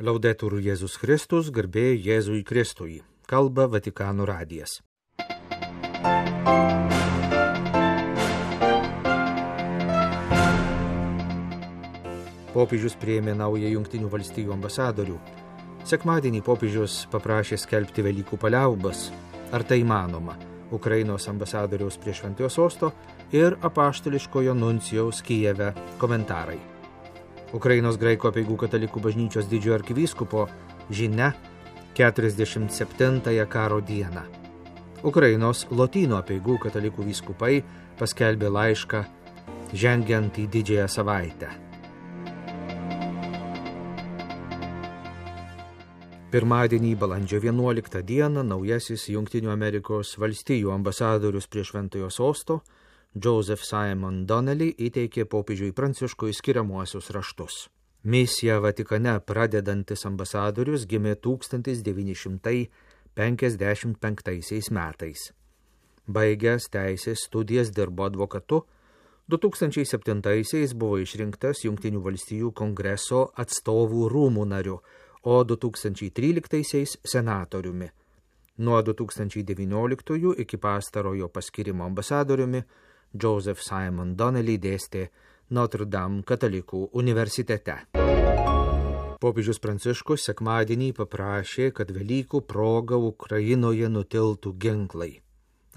Laudetur Jėzus Kristus, garbė Jėzui Kristui. Kalba Vatikano radijas. Popiežius priėmė naują Jungtinių valstijų ambasadorių. Sekmadienį popiežius paprašė skelbti Velykų paliaubas. Ar tai įmanoma? Ukrainos ambasadoriaus prie Šventojo sosto ir apaštališkojo nuncijaus Kijeve komentarai. Ukrainos graikų apeigų katalikų bažnyčios didžiojo arkivyskupo žinia 47-ąją karo dieną. Ukrainos lotynų apeigų katalikų vyskupai paskelbė laišką žengiant į didžiąją savaitę. Pirmadienį, balandžio 11 dieną, naujasis Jungtinių Amerikos valstijų ambasadorius prie Šventojo sosto Joseph Simon Donnelly įteikė popiežiui Pranciškui skiriamuosius raštus. Misiją Vatikane pradedantis ambasadorius gimė 1955 metais. Baigęs teisės studijas dirbo advokatu, 2007 buvo išrinktas Jungtinių valstijų kongreso atstovų rūmų nariu, o 2013 senatoriumi. Nuo 2019 iki pastarojo paskirimo ambasadoriumi Joseph Simon Donnelly dėstė Notre Dame katalikų universitete. Popiežius Pranciškus sekmadienį paprašė, kad Velykų proga Ukrainoje nutiltų ginklai.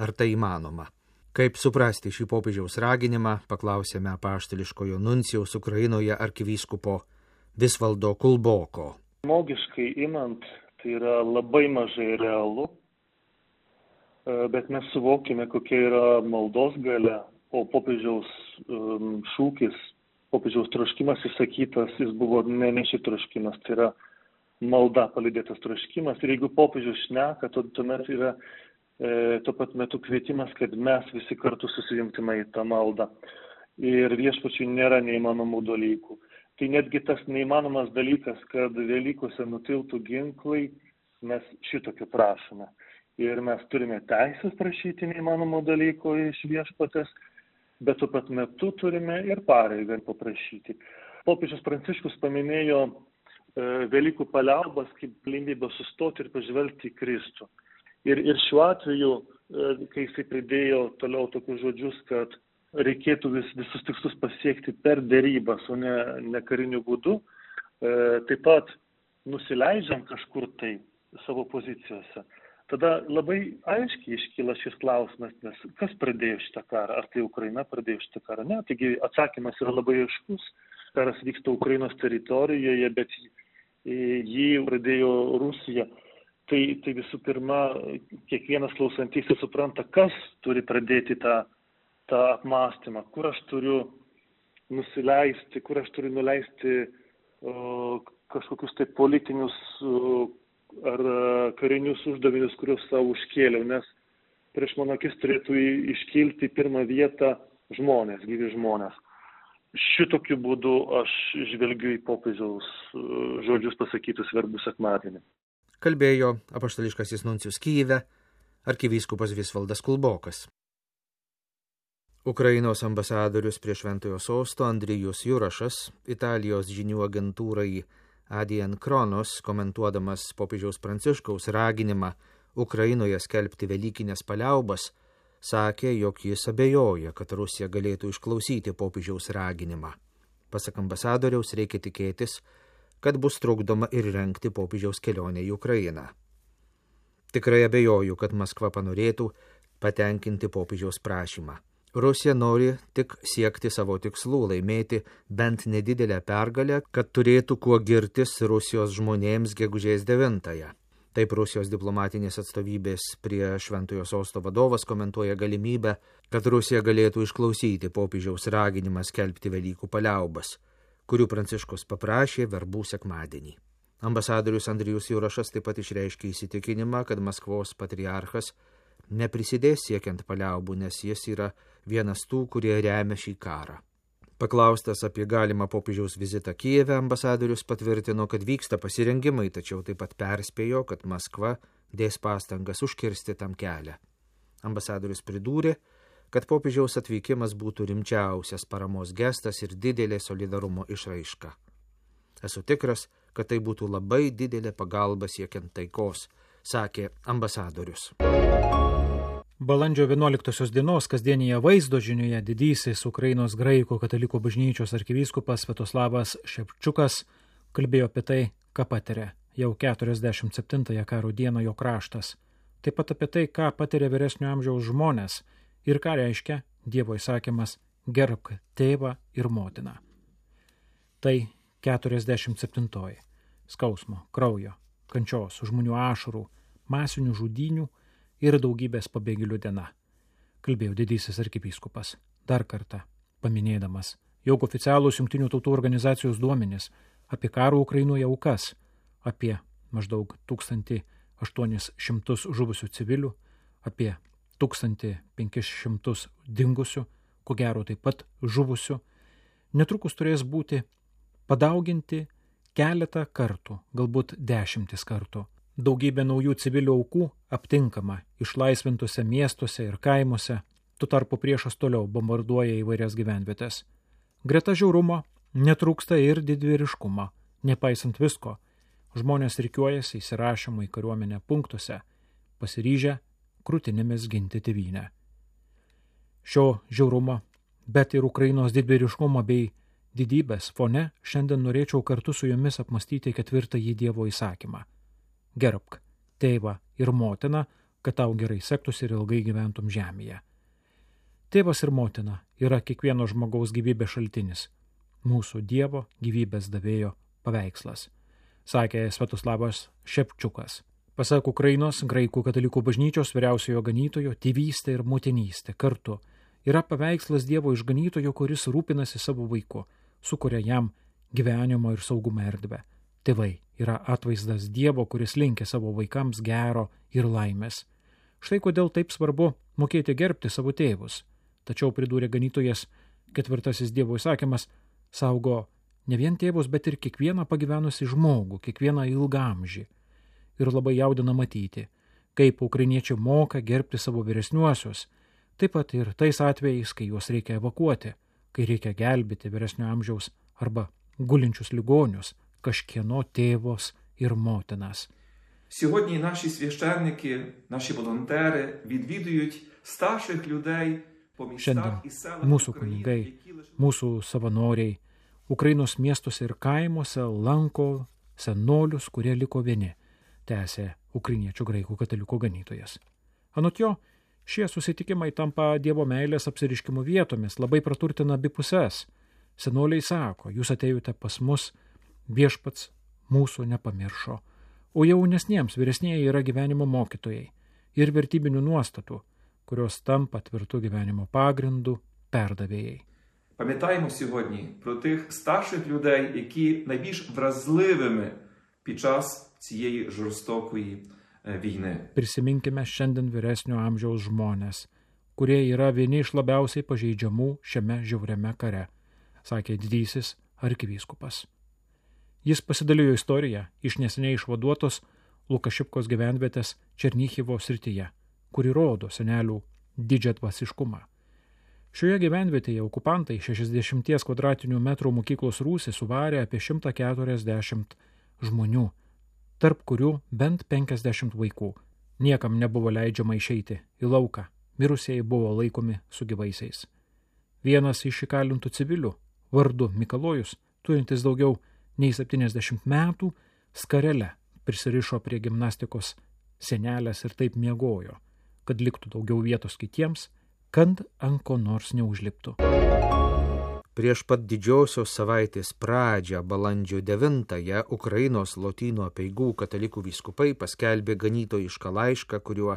Ar tai įmanoma? Kaip suprasti šį popiežiaus raginimą, paklausėme apaštališkojo nuncijaus Ukrainoje arkivyskupo Visvaldo Kulboko. Žmogiškai imant, tai yra labai mažai realu, bet mes suvokime, kokia yra maldos galia, o popiežiaus šūkis, popiežiaus troškimas įsakytas, jis buvo ne šiaip troškimas, tai yra malda palydėtas troškimas. Ir jeigu popiežius šneka, tuomet yra tuo pat metu kvietimas, kad mes visi kartu susijungtume į tą maldą. Ir viešpačiui nėra neįmanomų dalykų. Tai netgi tas neįmanomas dalykas, kad Velykose nutiltų ginklai, mes šitokio prašome. Ir mes turime teisės prašyti neįmanomo dalyko iš viešpatės, bet tuo pat metu turime ir pareigą paprašyti. Popiežius Pranciškus paminėjo Velykų paliaubas kaip galimybę sustoti ir pažvelgti į Kristų. Ir šiuo atveju, kai jisai pridėjo toliau tokius žodžius, kad reikėtų visus tikslus pasiekti per derybas, o ne kariniu būdu, taip pat nusileidžiam kažkur tai savo pozicijose. Tada labai aiškiai iškyla šis klausimas, nes kas pradėjo šitą karą? Ar tai Ukraina pradėjo šitą karą? Ne, taigi atsakymas yra labai aiškus. Karas vyksta Ukrainos teritorijoje, bet jį pradėjo Rusija. Tai visų pirma, kiekvienas klausantysis supranta, kas turi pradėti tą apmąstymą, kur aš turiu nusileisti, kur aš turiu nuleisti kažkokius tai politinius ar karinius uždavinius, kuriuos savo užkėliau, nes prieš mano akis turėtų iškilti pirmą vietą žmonės, gyvi žmonės. Šitokiu būdu aš žvelgiu į popiežiaus žodžius pasakytus verbų sekmadienį. Kalbėjo apaštališkasis nuncijus Kijeve arkivyskupas Visvaldas Kulbokas. Ukrainos ambasadorius prie Šventojo sosto Andrijus Jurašas, Italijos žinių agentūrai Adien Kronos, komentuodamas popiežiaus Pranciškaus raginimą Ukrainoje skelbti velykinės paliaubas, sakė, jog jis abejoja, kad Rusija galėtų išklausyti popiežiaus raginimą. Pasak ambasadoriaus reikia tikėtis, kad bus trukdoma ir rengti popiežiaus kelionę į Ukrainą. Tikrai abejoju, kad Maskva panorėtų patenkinti popiežiaus prašymą. Rusija nori tik siekti savo tikslų, laimėti bent nedidelę pergalę, kad turėtų kuo girtis Rusijos žmonėms gegužės 9-ąją. Taip Rusijos diplomatinės atstovybės prie Šventojo sosto vadovas komentuoja galimybę, kad Rusija galėtų išklausyti popiežiaus raginimą skelbti Velykų paliaubas, kurių Pranciškus paprašė verbų sekmadienį. Ambasadorius Andrijus Jurašas taip pat išreiškė įsitikinimą, kad Maskvos patriarchas neprisidės siekiant paliaubų, nes jis yra vienas tų, kurie remia šį karą. Paklaustas apie galimą popiežiaus vizitą Kijeve, ambasadorius patvirtino, kad vyksta pasirengimai, tačiau taip pat perspėjo, kad Maskva dės pastangas užkirsti tam kelią. Ambasadorius pridūrė, kad popiežiaus atvykimas būtų rimčiausias paramos gestas ir didelė solidarumo išraiška. Esu tikras, kad tai būtų labai didelė pagalba siekiant taikos, sakė ambasadorius. Balandžio 11 dienos kasdienėje vaizdo žinioje didysis Ukrainos graikų katalikų bažnyčios arkivyskupas Sviatoslavas Šepčiukas kalbėjo apie tai, ką patiria jau 47-ąją karo dieną jo kraštas. Taip pat apie tai, ką patiria vyresnio amžiaus žmonės ir ką reiškia Dievo įsakymas gerbk tėvą ir motiną. Tai 47-oji skausmo, kraujo, kančios, žmonių ašarų, masinių žudynių ir daugybės pabėgėlių diena, kalbėjo didysis arkivyskupas, dar kartą paminėdamas, jog oficialūs Jungtinių tautų organizacijos duomenys apie karo Ukrainoje aukas, apie maždaug 1800 žuvusių civilių, apie 1500 dingusių, ko gero taip pat žuvusių, netrukus turės būti padauginti keletą kartų, galbūt 10 kartų. Daugybė naujų civilių aukų aptinkama išlaisvintose miestuose ir kaimuose, tuo tarpu priešas toliau bombarduoja įvairias gyvenvietės. Greta žiaurumo netrūksta ir didvyriškumo, nepaisant visko. Žmonės rikiuojasi įsirašymo į kariuomenę punktuose, pasiryžę krūtinėmis ginti tėvynę. Šio žiaurumo, bet ir Ukrainos didvyriškumo bei didybės fone šiandien norėčiau kartu su jumis apmastyti 4-ąjį Dievo įsakymą. Gerbk tėvą ir motiną, kad tau gerai sektųsi ir ilgai gyventum žemėje. Tėvas ir motina yra kiekvieno žmogaus gyvybės šaltinis, mūsų Dievo gyvybės davėjo paveikslas, sakė Sviatoslavas Šepčiukas. Pasak Ukrainos graikų katalikų bažnyčios vyriausiojo ganytojo, tėvystė ir motinystė kartu yra paveikslas Dievo išganytojo, kuris rūpinasi savo vaiku, sukuria jam gyvenimo ir saugumo erdvę. Tėvai yra atvaizdas Dievo, kuris linkia savo vaikams gero ir laimės. Štai kodėl taip svarbu mokėti gerbti savo tėvus. Tačiau, pridūrė ganytojas, 4-asis Dievo įsakymas saugo ne vien tėvus, bet ir kiekvieną pagyvenusį žmogų, kiekvieną ilgamžį. Ir labai jaudina matyti, kaip ukrainiečiai moka gerbti savo vyresniuosius, taip pat ir tais atvejais, kai juos reikia evakuoti, kai reikia gelbėti vyresnio amžiaus arba gulinčius ligonius, kažkieno tėvos ir motinas. Сьогодні наші священники, наші волонтери відвідують старших людей по містах і селах Mūsų України, kunigai, які лише mūsų savanoriai Ukrainos miestuose ir kaimuose lanko senolius, kurie liko vieni, tęsė ukrainiečių graikų katalikų ganytojas. Anot jo, šie susitikimai tampa Dievo meilės apsiriškimo vietomis, labai praturtina abi puses. Senoliai sako, jūs atėjote pas mus, viešpats mūsų nepamiršo, o jaunesniems vyresnieji yra gyvenimo mokytojai ir vertybinių nuostatų, kurios tampa tvirtų gyvenimo pagrindų perdavėjai. Пам'ятаємо сьогодні про тих старших людей, які найбільш вразливими під час цієї жорстокої війни. Prisiminkime šiandien vyresnio amžiaus žmonės, kurie yra vieni iš labiausiai pažeidžiamų šiame žiauriame kare, sakė didysis arkivyskupas. Jis pasidalijo istoriją iš neseniai išvaduotos Lukašivkos gyvenvietės Černychivo srityje, kuri rodo senelių didžiadvasiškumą. Šioje gyvenvietėje okupantai 60 kvadratinių metrų mokyklos rūsį suvarė apie 140 žmonių, tarp kurių bent 50 vaikų. Niekam nebuvo leidžiama išeiti į lauką, mirusieji buvo laikomi su gyvaisiais. Vienas iš įkalintų civilių, vardu Mikalojus, turintis daugiau nei 70 metų, skarele prisirišo prie gimnastikos senelės ir taip miegojo, kad liktų daugiau vietos kitiems, kad ant ko nors neužliptų. Prieš pat didžiosios savaitės pradžią balandžio 9-ąją Ukrainos Lotynų apeigų katalikų vyskupai paskelbė ganytojišką laišką, kuriuo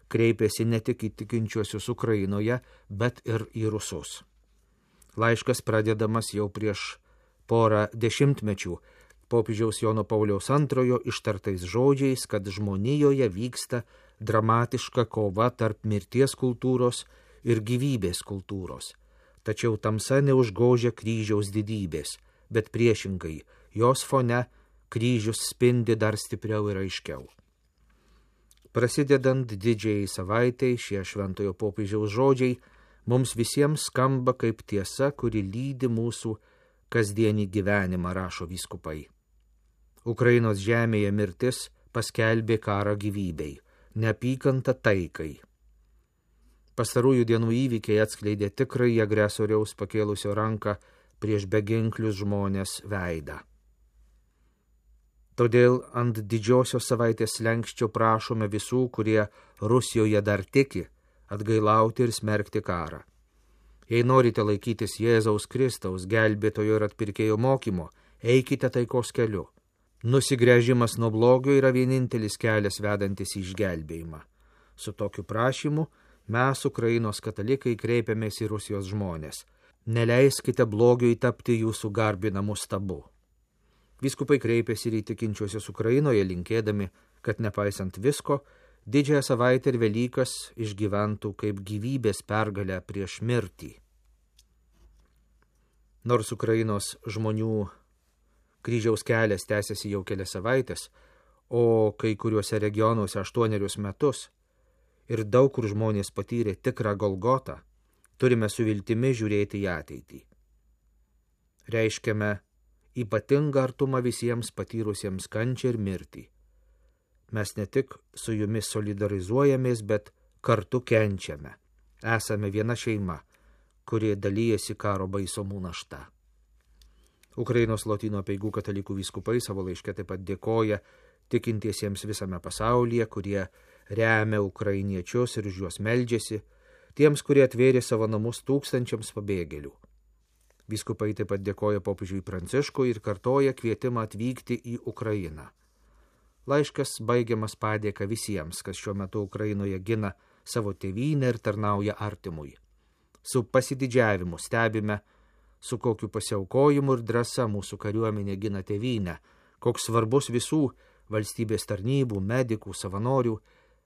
kreipėsi ne tik į tikinčiuosius Ukrainoje, bet ir į rusus. Laiškas pradedamas jau prieš porą dešimtmečių popiežiaus Jono Pauliaus II ištartais žodžiais, kad žmonijoje vyksta dramatiška kova tarp mirties kultūros ir gyvybės kultūros. Tačiau tamsa neužgožia kryžiaus didybės, bet priešingai, jos fone kryžius spindi dar stipriau ir aiškiau. Prasidedant didžiai savaitei, šie šventojo popiežiaus žodžiai mums visiems skamba kaip tiesa, kuri lydi mūsų kasdienį gyvenimą, rašo vyskupai. Ukrainos žemėje mirtis paskelbė karą gyvybei, neapykantą taikai. Pastarųjų dienų įvykiai atskleidė tikrąjį agresoriaus pakėlusio ranką prieš beginklius žmonės veidą. Todėl ant didžiosios savaitės slenkščio prašome visų, kurie Rusijoje dar tiki, atgailauti ir smerkti karą. Jei norite laikytis Jėzaus Kristaus, gelbėtojo ir atpirkėjo mokymo, eikite taikos keliu. Nusigręžimas nuo blogio yra vienintelis kelias vedantis į išgelbėjimą. Su tokiu prašymu mes, Ukrainos katalikai, kreipiamės į Rusijos žmonės. Neleiskite blogiui tapti jūsų garbinamu stabu. Vyskupai kreipėsi ir į tikinčiuosius Ukrainoje, linkėdami, kad nepaisant visko, didžiąją savaitę ir Velykas išgyventų kaip gyvybės pergalę prieš mirtį. Nors Ukrainos žmonių kryžiaus kelias tęsiasi jau kelias savaitės, o kai kuriuose regionuose 8 metus, ir daug kur žmonės patyrė tikrą Golgotą, turime su viltimi žiūrėti į ateitį. Reiškiame ypatingą artumą visiems patyrusiems kančią ir mirtį. Mes ne tik su jumis solidarizuojamės, bet kartu kenčiame. Esame viena šeima, kuri dalyjasi karo baisomų našta. Ukrainos Lotynų apeigų katalikų vyskupai savo laiške taip pat dėkoja tikintiesiems visame pasaulyje, kurie remia ukrainiečius ir už juos meldžiasi, tiems, kurie atvėrė savo namus tūkstančiams pabėgėlių. Vyskupai taip pat dėkoja popiežiui Pranciškui ir kartoja kvietimą atvykti į Ukrainą. Laiškas baigiamas padėka visiems, kas šiuo metu Ukrainoje gina savo tėvynę ir tarnauja artimui. Su pasididžiavimu stebime, su kokiu pasiaukojimu ir drąsa mūsų kariuomenė gina tėvynę, koks svarbus visų valstybės tarnybų, medikų, savanorių,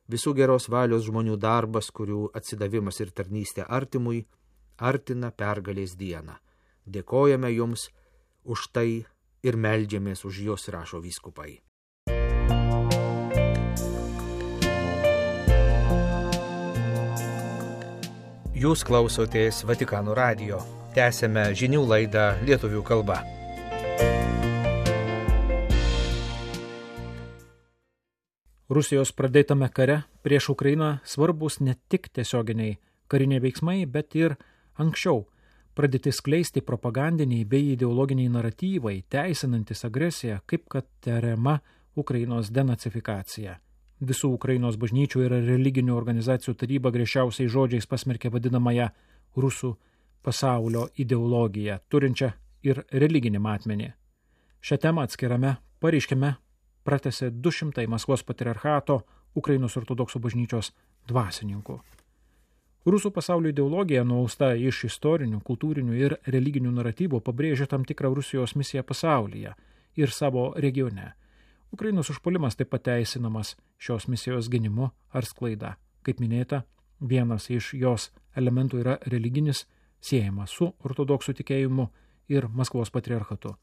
visų geros valios žmonių darbas, kurių atsidavimas ir tarnystė artimui artina pergalės dieną. Dėkojame jums už tai ir meldžiamės už jūs, rašo vyskupai. Jūs klausotės Vatikano radijo. Tęsėme žinių laidą lietuvių kalba. Rusijos pradėtame kare prieš Ukrainą svarbus ne tik tiesioginiai kariniai veiksmai, bet ir anksčiau pradėti skleisti propagandiniai bei ideologiniai naratyvai, teisinantis agresiją, kaip kad tariama Ukrainos denacifikacija. Visų Ukrainos bažnyčių ir religinių organizacijų taryba griežčiausiais žodžiais pasmerkė vadinamąją rusų pasaulio ideologiją, turinčią ir religinį matmenį. Šią temą atskirame pareiškime pratęsė 200 Maskvos patriarchato Ukrainos ortodoksų bažnyčios dvasininkų. Rusų pasaulio ideologija, nuausta iš istorinių, kultūrinių ir religinių naratyvų, pabrėžia tam tikrą Rusijos misiją pasaulyje ir savo regione. Ukrainos užpuolimas taip pat teisinamas šios misijos gynimu ar sklaida. Kaip minėta, vienas iš jos elementų yra religinis, siejamas su ortodoksų tikėjimu ir Maskvos patriarchatu.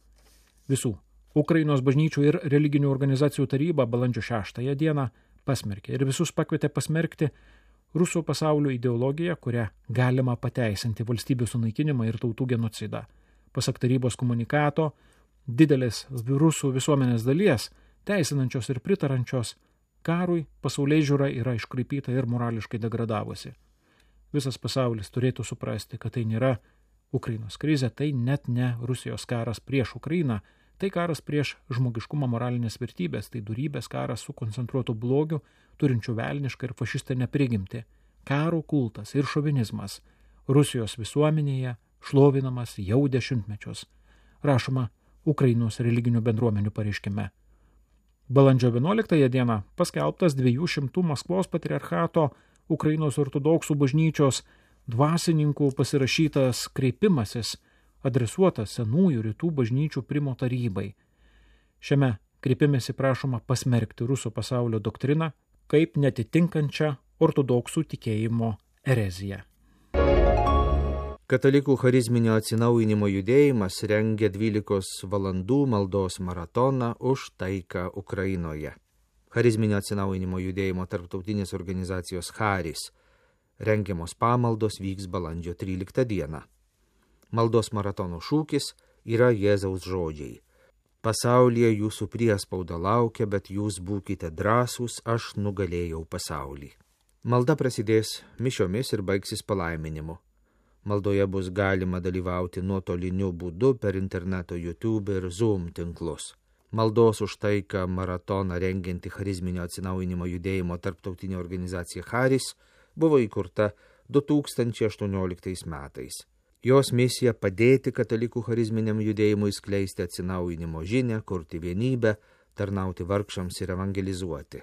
Visų Ukrainos bažnyčių ir religinių organizacijų taryba balandžio 6 dieną pasmerkė ir visus pakvietė pasmerkti rusų pasaulio ideologiją, kurią galima pateisinti valstybių sunaikinimą ir tautų genocidą. Pasak tarybos komunikato, didelės rusų visuomenės dalies, teisinančios ir pritarančios karui, pasaulėžiūra yra iškraipyta ir morališkai degradavusi. Visas pasaulis turėtų suprasti, kad tai nėra Ukrainos krizė, tai net ne Rusijos karas prieš Ukrainą, tai karas prieš žmogiškumo moralinės vertybės, tai dorybės karas su koncentruotu blogiu, turinčiu velnišką ir fašistinę prigimtį, karo kultas ir šovinizmas Rusijos visuomenėje šlovinamas jau dešimtmečius, rašoma Ukrainos religinių bendruomenių pareiškime. Balandžio 11 dieną paskelbtas 200 Maskvos patriarchato Ukrainos ortodoksų bažnyčios dvasininkų pasirašytas kreipimasis, adresuotas senųjų rytų bažnyčių primo tarybai. Šiame kreipimėsi prašoma pasmerkti rusų pasaulio doktriną kaip netitinkančią ortodoksų tikėjimo ereziją. Katalikų charizminio atsinaujinimo judėjimas rengia 12 valandų maldos maratoną už taiką Ukrainoje. Charizminio atsinaujinimo judėjimo tarptautinės organizacijos Charis rengiamos pamaldos vyks balandžio 13 dieną. Maldos maratono šūkis yra Jėzaus žodžiai. Pasaulyje jūsų priespauda laukia, bet jūs būkite drąsūs, aš nugalėjau pasaulį. Malda prasidės mišiomis ir baigsis palaiminimu. Maldoje bus galima dalyvauti nuotoliniu būdu per interneto YouTube ir Zoom tinklus. Maldos už taiką maratoną rengianti charizminio atsinaujinimo judėjimo tarptautinė organizacija Charis buvo įkurta 2018 metais. Jos misija padėti katalikų charizminiam judėjimui skleisti atsinaujinimo žinią, kurti vienybę, tarnauti vargšams ir evangelizuoti.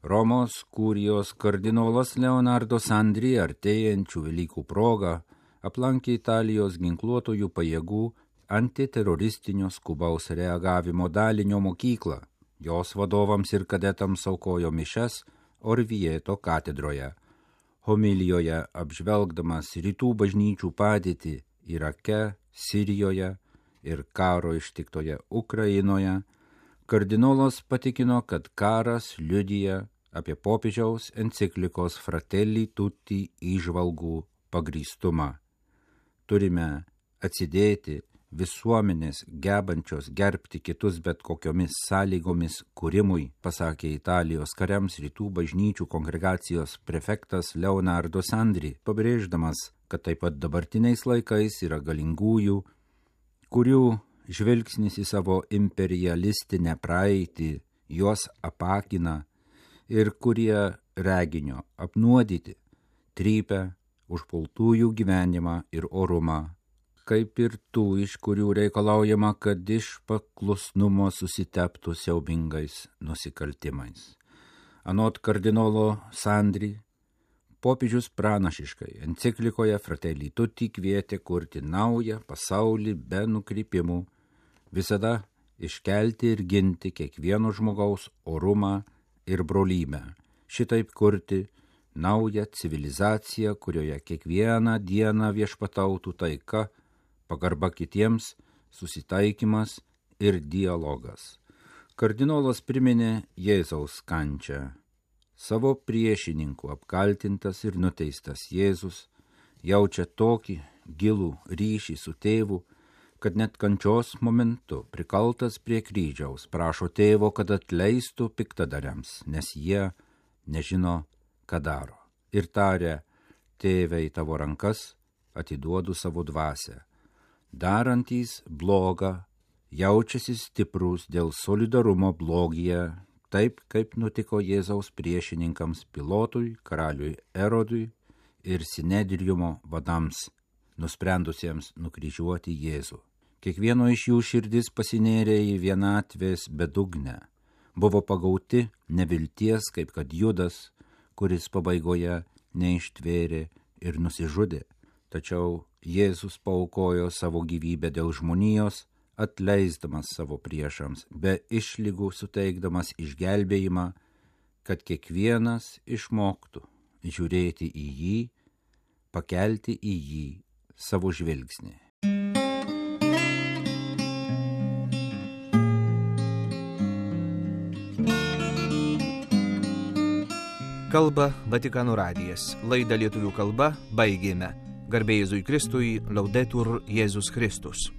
Romos kurijos kardinolas Leonardo Sandri artėjančių Velykų proga aplankė Italijos ginkluotojų pajėgų antiteroristinio skubaus reagavimo dalinio mokyklą. Jos vadovams ir kadetams aukojo mišias Orvieto katedroje. Homilijoje apžvelgdamas rytų bažnyčių padėtį Irake, Sirijoje ir karo ištiktoje Ukrainoje, kardinolas patikino, kad karas liudija apie popiežiaus enciklikos Fratelli Tutti įžvalgų pagrįstumą. Turime atsidėti visuomenės gebančios gerbti kitus bet kokiomis sąlygomis kūrimui, pasakė Italijos kariams rytų bažnyčių kongregacijos prefektas Leonardo Sandri, pabrėždamas, kad taip pat dabartiniais laikais yra galingųjų, kurių žvilgsnis į savo imperialistinę praeitį juos apakina ir kurie reginio apnuodyti, trypia užpultųjų gyvenimą ir orumą, kaip ir tų, iš kurių reikalaujama, kad iš paklusnumo susiteptų siaubingais nusikaltimais. Anot kardinolo Sandri, popiežius pranašiškai enciklikoje Fratelli Tutti kvietė kurti naują pasaulį be nukrypimų, visada iškelti ir ginti kiekvieno žmogaus orumą ir brolybę, šitaip kurti naują civilizaciją, kurioje kiekvieną dieną viešpatautų taika, pagarba kitiems, susitaikymas ir dialogas. Kardinolas priminė Jėzaus kančią. Savo priešininkų apkaltintas ir nuteistas Jėzus jaučia tokį gilų ryšį su tėvu, kad net kančios momentu prikaltas prie kryžiaus prašo tėvo, kad atleistų piktadariams, nes jie nežino, ką daro. Ir taria, tėve, į tavo rankas atiduodu savo dvasią. Darantys blogą jaučiasi stiprus dėl solidarumo blogyje, taip kaip nutiko Jėzaus priešininkams Pilotui, karaliui Erodui ir Sinedriumo vadams, nusprendusiems nukryžiuoti Jėzų. Kiekvieno iš jų širdis pasinėrė į vienatvės bedugnę, buvo pagauti nevilties, kaip kad Judas, kuris pabaigoje neištvėrė ir nusižudė. Tačiau Jėzus paaukojo savo gyvybę dėl žmonijos, atleisdamas savo priešams, be išlygų suteikdamas išgelbėjimą, kad kiekvienas išmoktų žiūrėti į jį, pakelti į jį savo žvilgsnį. Kalba Vatikano radijas. Laidą lietuvių kalba baigėme. Garbė Jėzui Kristui, Laudetur Jėzus Kristus.